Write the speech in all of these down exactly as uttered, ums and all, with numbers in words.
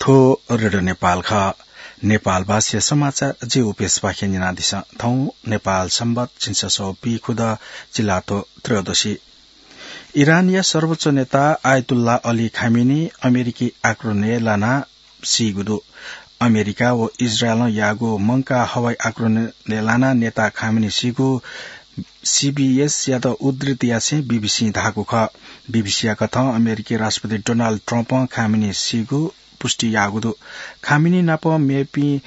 थ्व रेडियो नेपाल खः। नेपालभाषा समाचार जि उपेशपाखें न्यनादिसँ। थौं नेपाल संवत् झिंछसः पीखुद, चिलातो त्रयोदशी। इरानया सर्वोच्च नेता आयतुल्लाह अली खामेनी अमेरिकी आक्रमणय् लानाः सीगु दु। अमेरिका व इजरायलं याःगु मंकाः हवाई आक्रमणय् लानाः नेता खामेनी सीगु सीबीएसयात उद्धृत यासें बीबीसीं धाःगु खः। बीबीसीया कथं अमेरिकी राष्ट्रपति डोनाल्ड ट्रम्पं खामेनी सीगु पुष्टि याःगु दु। खामेनी नाप मेपिं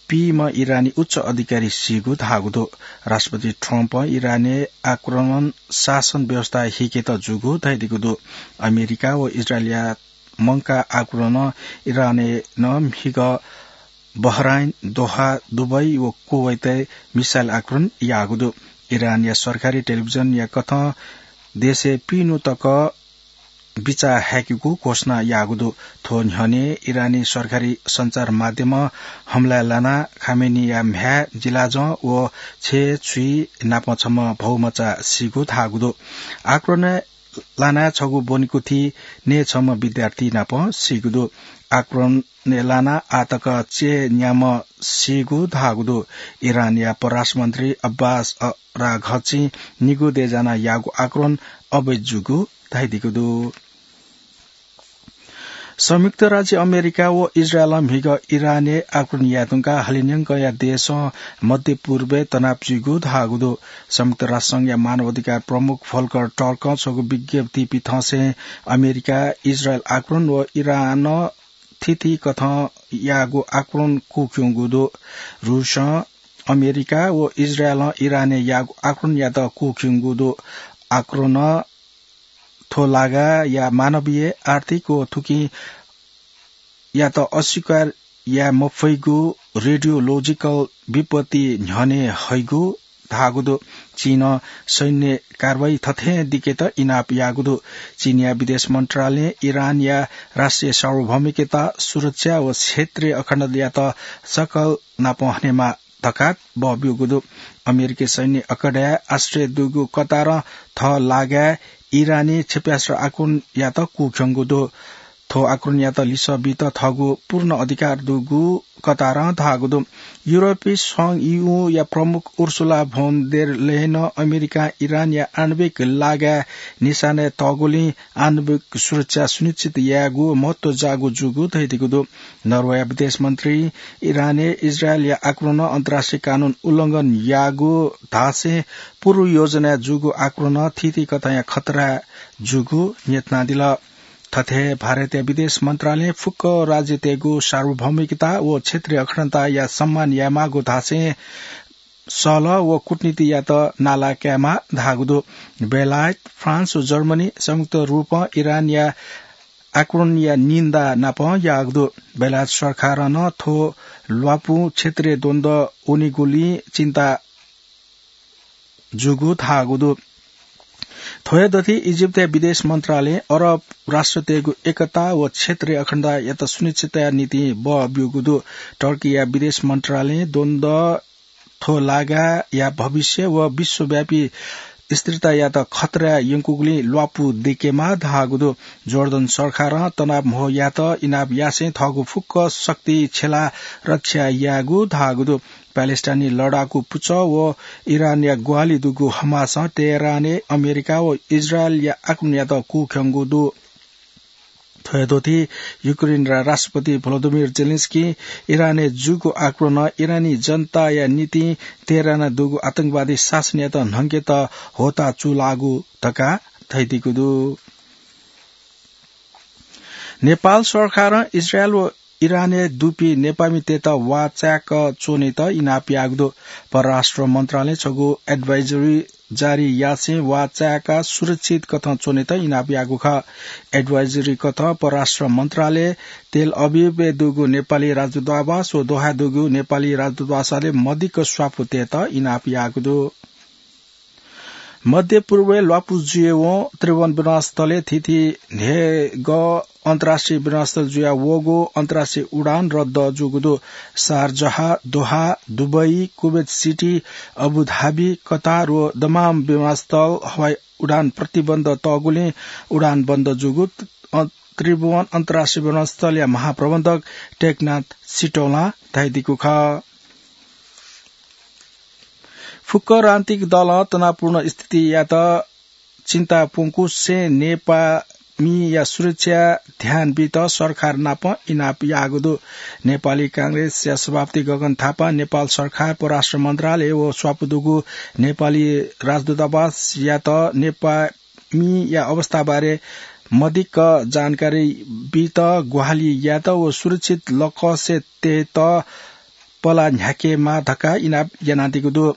पीम्ह इरानी उच्च अधिकारी सीगु धाःगु दु। राष्ट्रपति ट्रम्पं इरानय् आक्रमण शासन व्यवस्था हिकेत जूगु धयादीगु दु। अमेरिका व इजरायलया मंकाः आक्रमणं इरानय् नं म्हिगः बहराइन, दोहा, दुबई व कुवैतय् मिसाइल आक्रमण याःगु दु। इरानया सरकारी टेलिभिजनया कथं देशय् पिइन्हु तक बिचाः हाय्केगु घोषणा याःगु दु। थ्व न्ह्यःने इरानी सरकारी सञ्चार माध्यमं हमलाय् लानाः खामेनीया म्ह्याय्, जिलाजं व छय् छुइ नाप छम्ह भौमचा सीगु धाःगु दु। आक्रमणय् लानाः छगू ब्वनेकुथि नये छम्ह विद्यार्थी नाप सीगु दु। आक्रमणय् लानाः आः तक चय्न्याम्ह सीगु धाःगु दु। इरानया परराष्ट्र मन्त्री अब्बास अराघचिं निगू देय् जानाः याःगु आक्रमण अवैध जूगु धयादीगु दु। संयुक्त राज्य अमेरिका व इजरायलं म्हिगः इरानय् आक्रमण याये धुंकाः हलिंन्यंकया देशं मध्य पूर्वय् तनाव जुइगु धाःगु दु। संयुक्त राष्ट्र संघया मानव अधिकार प्रमुख भोल्कर टर्कं छगू विज्ञप्ति पिथंसें अमेरिका, इजरायल आक्रमण व इरानं थीथी कथं याःगु आक्रमण कुःख्यंगु दु। रूसं अमेरिका व इजरायलं इरानय् याःगु आक्रमणयात कुःख्यंगु दु। आक्रमणं थ्व लागाया मानवीय, आर्थिक व थुकिं यात अस्वीकार याये मफइगु रेडियोलोजिकल विपत्ति न्ह्यःने हइगु धाःगु दु। चीनं सैन्य कारवाही थथें दिकेत इनाप याःगु दु। चीनया विदेश मन्त्रालयं इरानया राष्ट्रिय सार्वभौमिकता, सुरक्षा व क्षेत्रीय अखण्डतायात सकल नाप हनेमाः धकाः बःब्यूगु दु। अमेरिकी सैन्य अखडाय् आश्रय दुगु कतारं थः लागाय् इरानी क्षेप्यास्त्र आक्रमणयात कुःख्यंगु दु। थ्व आक्रमणयात लिसः बीत थःगु पूर्ण अधिकार दुगु कतारं धाःगु दु। युरोपी संघ ईयूया प्रमुख उर्सुला भोन देर लेयनं अमेरिकां इरानया आणविक लागाय् निशानाय् तःगुलिं आणविक सुरक्षा सुनिश्चित यायेगु महत्व जाःगु जूगु धयादीगु दु। नर्वेया विदेश मन्त्रीं इरानय् इजरायलया आक्रमणं अन्तर्राष्ट्रिय कानून उल्लंघन याःगु धासें पूर्व योजनाय् जूगु आक्रमणं थीथी कथंया खतरा जूगु न्ह्यथनादिल। थथे भारतया विदेश मन्त्रालयं फुक्क राज्यतय्गु सार्वभौमिकता व क्षेत्रीय अखण्डताया सम्मान यायेमाःगु धासें सहलह व कूटनीतियात नाला कायेमाः धाःगु दु। बेलायत, फ्रान्स व जर्मनी संयुक्त रूपं इरानया आक्रमणया निन्दा नाप याःगु दु। बेलायत सरकारं नं थ्व ल्वापुं क्षेत्रीय द्वन्द्व वनीगुलिं चिन्ता जूगु धाःगु दु। थ्व हे दथि इजिप्तया विदेश मन्त्रालयं अरब राष्ट्रतय्गु एकता व क्षेत्रीय अखण्डतायात सुनिश्चितया निंतिं बः ब्यूगु दु। टर्कीया विदेश मन्त्रालयं द्वन्द्व थ्व लागाया भविष्य व विश्वव्यापी स्थिरतायात खतरा यंकूगुलिं ल्वापु दयेकेमाः धाःगु दु। जोर्डन सरकारं तनाव म्हो यायेत इनाप यासें थःगु फुक्क शक्ति छ्यलाः रक्षा यायेगु धाःगु दु। प्यालेस्टाइनी लडाकू पुचः व इरानया ग्वाहालि दुगु हमासं तेहरानय् अमेरिका व इजरायलया आक्रमणयात कूख्यंगु दु। थ्व हे दथि युक्रेनया राष्ट्रपति भ्लोदिमिर जेलेन्स्कीं इरानय् जूगु आक्रमणं इरानी जनताया निंतिं तेहरानय् दुगु आतंकवादी शासनयात न्हंकेत होता चूलाःगु धकाः धयादीगु दु। नेपाल सरकारं इजरायल व इरानय् दुपिं नेपाःमितय्त वाःचाय्क च्वनेत इनाप याःगु दु। परराष्ट्र मन्त्रालयं छगू advisory जारी यासें वाःचाय्काः सुरक्षित कथं च्वनेत इनाप याःगु खः। Advisory कथं परराष्ट्र मन्त्रालयं तेल अभिवय् दुगु नेपाली राजदूतावास व दोहाय् दुगु नेपाली राजदूतावासय् मदिक्क स्वापू तयेत इनाप याःगु दु। मध्य पूर्वय् ल्वापु जुयावं त्रिभुवन विमानस्थलय् थीथी न्हय्गः अन्तर्राष्ट्रिय विमानस्थल जुयावःगु अन्तर्राष्ट्रिय उडान रद्द जूगु दु। शारजाह, दोहा, दुबई, कुवेत सिटी, अबुधाबी, कतार व दमाम विमानस्थल हवाई उडान प्रतिबन्ध तःगुलिं उडान बन्द जूगु अ, त्रिभुवन अन्तर्राष्ट्रिय विमानस्थलया महाप्रबन्धक टेकनाथ सिटौलां धयादीगु खः। फुक्क राजनीतिक दलं तनावपूर्ण स्थितियात चिन्ता प्वंकुसें नेपाःमिया सुरक्षा ध्यान बीत सरकार नाप इनाप याःगु दु। नेपाली कांग्रेसया सभापति गगन थापां नेपाल सरकार, परराष्ट्र मन्त्रालय व स्वापू दुगु नेपाली राजदूतावासयात नेपाःमिया अवस्थाबारे मदिक्क जानकारी बीत ग्वाहालि यायेत व सुरक्षित लकसे तयेत पला न्ह्याकेमाः धकाः इनाप यानादीगु दु।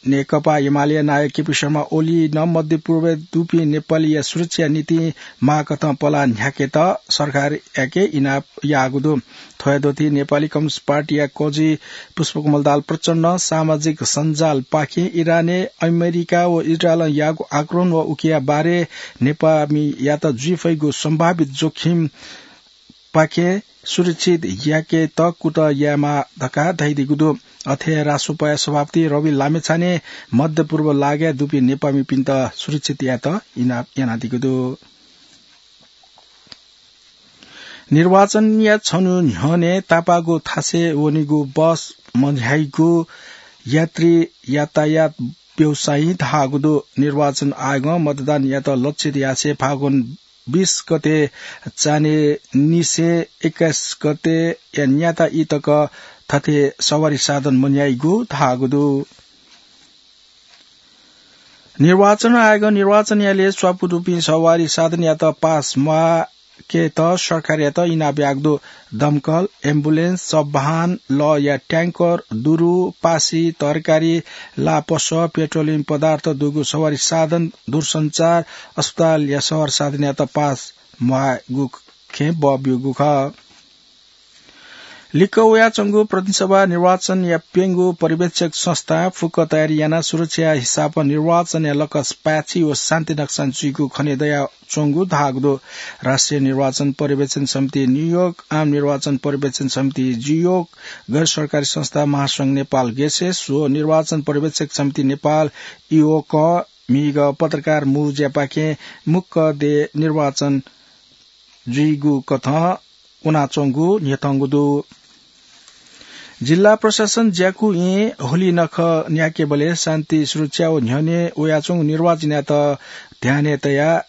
नेकपा एमाले नायक केपी शर्मा ओलीं नं मध्यपूर्वय् दुपिं नेपालीया सुरक्षा निंतिं माःकथं पला न्ह्याकेत सरकारयाके इनाप याःगु दु। थ्वया दथुइ नेपाली कम्युनिस्ट पार्टीया कजि पुष्पकमल दाहाल प्रचण्डं सामाजिक सञ्जालपाखें इरानय् अमेरिका व इजरायलं याःगु आक्रमण व उकिया बारे नेपाःमियात जुइफइगु सम्भावित जोखिम पाखें सुरक्षित याकेत कुतः यायेमाः धकाः धयादीगु दु। अथे रासोपाया सभापति रवि लामिछानें मध्यपूर्व लागाय् दुपिं नेपाःमिपिन्त सुरक्षित यायेत इनाप यानादीगु दु। निर्वाचनया छन्हु न्ह्यःने तापाःगु थासय् वनीगु बस मन्ह्याइगु यात्री यातायात व्यवसायीं धाःगु दु। निर्वाचन आयोगं मतदानयात लक्षित यासें फागुन बीस गते चान्हय् निसें एक्काइस गतेया न्याता ई तक थथे सवारी साधन मन्ह्याइगु धाःगु दु। निर्वाचन आयोगं निर्वाचन यालय् स्वापू दुपिं सवारी साधनयात पास म्वाकेत सरकारयात इनाप याःगु दु। दमकल, एम्बुलेन्स, सवाहन, लःया ट्याङ्कर, दुरु, पासी, तरकारी, लापसः, पेट्रोलियम पदार्थ दुगु सवारी साधन, दूरसञ्चार, अस्पतालया सवारी साधनयात पास म्वाःगु खँय् बः ब्यूगु खः। लिक्क वयाच्वंगु प्रतिनिधि सभा निर्वाचनया प्यंगू पर्यवेक्षक संस्थां फुक्क तयारी यानाः सुरक्षाया हिसाबं निर्वाचनया लकस पाय्छि व शान्ति नक्सान जुइगु खने दयाच्वंगु धाःगु दु। राष्ट्रिय निर्वाचन पर्यवेक्षण समिति न्यूयोर्क, आम निर्वाचन पर्यवेक्षण समिति ज्यूयोर्क, गैर सरकारी संस्था महासंघ नेपाल गेसेस व निर्वाचन पर्यवेक्षक समिति नेपाल इओकं म्हिगः पत्रकार मू ज्यापाखें मुक्क देय् निर्वाचन जुइगु कथं वनाच्वंगु न्ह्यथंगु दु। जिल्ला प्रशासन ज्याकुँयें होली नखः न्याकेबलय् शान्ति सुरक्षा व न्ह्यःने वयाच्वंगु निर्वाचनयात ध्यानय् तयाः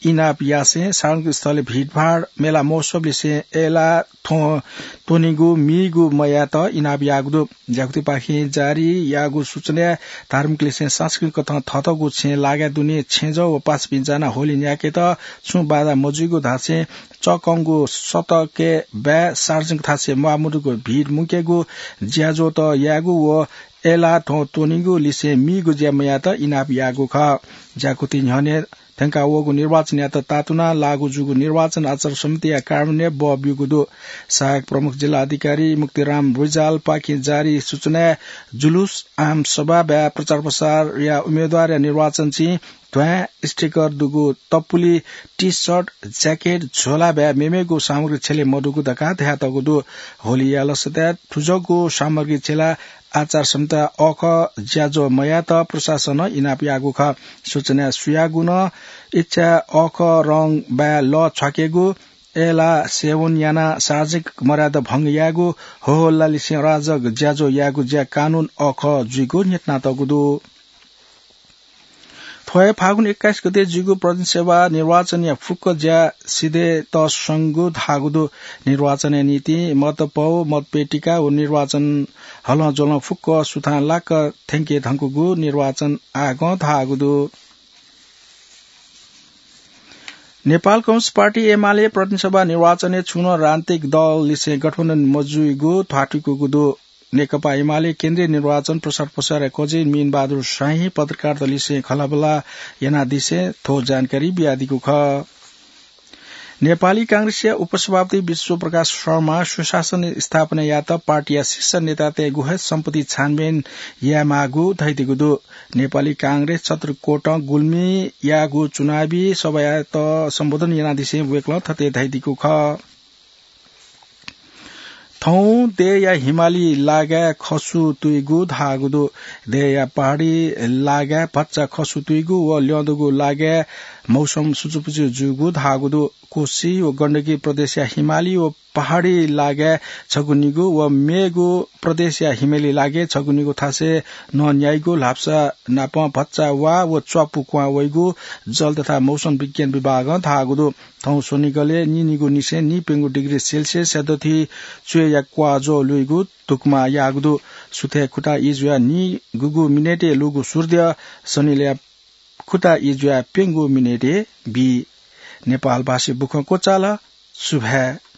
इनाप यासें सार्वजनिक स्थलय् भिडभाड, मेला महोत्सवलिसें अय्लाः थ्वँ त्वनेगु मीगु मयायेत इनाप याःगु दु। ज्याकुथिपाखें जारी याःगु सूचनाय् धार्मिकलिसें सांस्कृतिक कथं थःथःगु छेँय् लागाय् दुने छेँजः व पासापिं जानाः होली न्याकेत छुं बाधा मजुइगु धासें चःकंगु सतकय् बाय् सार्वजनिक थासय् म्वाःमदुगु भिड मुंकेगु, ज्याझ्वःत यायेगु व अय्लाः थ्वँ त्वनेगु लिसें मीगु ज्या मयायेत इनाप याःगु खः। ज्याकुथि न्ह्यःने थ्यंका वःगु निर्वाचनयात तातुनाः लागू जूगु निर्वाचन आचार संहिताया कार्यान्वयनय् बः ब्यूगु दु। सहायक प्रमुख जिल्ला अधिकारी मुक्तिराम रिजालपाखें जारी सूचनाय् जुलुस, आम सभा, बाय् प्रचार प्रसारया उम्मेदवारया निर्वाचन चिं, ध्वाँय्, स्टिकर दुगु तपुलि, टी सर्ट, ज्याकेट, झोला बाय् मेमेगु सामग्री छ्यले मदुगु धकाः धयातःगु दु। होलीया लसताय् थुजःगु सामग्री छ्यलाः आचार संहिता अःखः ज्याझ्वः मयायेत प्रशासनं इनाप याःगु खः। सूचनाय् सुयागु नं इच्छा अःखः रंग बाय् लः छ्वाकेगु, अय्लाः सेवन यानाः सार्वजनिक मर्यादा भंग यायेगु, होहल्लालिसें अराजक ज्याझ्वः यायेगु ज्या कानून अःखः जुइगु न्ह्यथनातःगु दु। थ्व हे फागुन एक्काइस गते जुइगु प्रतिनिधि सभा निर्वाचनया फुक्क ज्या सिधय् तःसंगु धाःगु दु। निर्वाचनया निंतिं मतपौ, मतपेटिका व निर्वाचन हलंज्वलं फुक्क सुथांलाक थ्यंके धुंकूगु निर्वाचन आयोगं धाःगु दु। नेपाल कम्युनिस्ट पार्टी एमाले प्रतिनिधि सभा निर्वाचनय् छुं नं राजनीतिक दललिसें गठबन्धन मजुइगु ध्वाथुइकूगु दु। नेकपा एमाले केन्द्रीय निर्वाचन प्रचार प्रसारया कजि मीनबहादुर शाहीं पत्रकारतलिसें खँल्हाबल्हा यानादिसें थ्व जानकारी बियादीगु खः। नेपाली कांग्रेसया उपसभापति विश्वप्रकाश शर्मां सुशासन स्थापना यायेत पार्टीया शीर्ष नेतातय्गु हे सम्पत्ति छानबिन यायेमाःगु धयादीगु दु। नेपाली कांग्रेस छत्रकोटं गुल्मीयागु चुनावी सभायात सम्बोधन यानादिसें वय्कलं थथे धयादीगु खः। थौं देय्या हिमाली लागाय् खसु तुइगु धाःगु दु। देय्या पहाडी लागाय् भचा खसु तुइगु व ल्यंदुगु लागाय् मौसम सुचुपुचु जूगु धाःगु दु। कोशी व गण्डकी प्रदेशया हिमाली व पहाडी लागाय् छगू निगू व मेगु प्रदेशया हिमाली लागाय् छगू निगू थासय् नं न्याइगु, ल्हापसा नापं भचा वा व च्वापु क्वहां वइगु जल तथा मौसम विज्ञान विभागं धाःगु दु। थौं स्वनिगलय् नीनिगू निसें नीप्यंगू डिग्री सेल्सियसया दथुइ च्वय्‌या क्वाःज्वः लुइगु धुकुमा याःगु दु। सुथय् खुता ई जुयाः नीगूगु मिनेटय् लूगु सूर्य सनिलय् खुता ई जुयाः प्यंगू मिनेटय् बी। नेपालभाषी बुखँ क्वचाल। सुभाय्।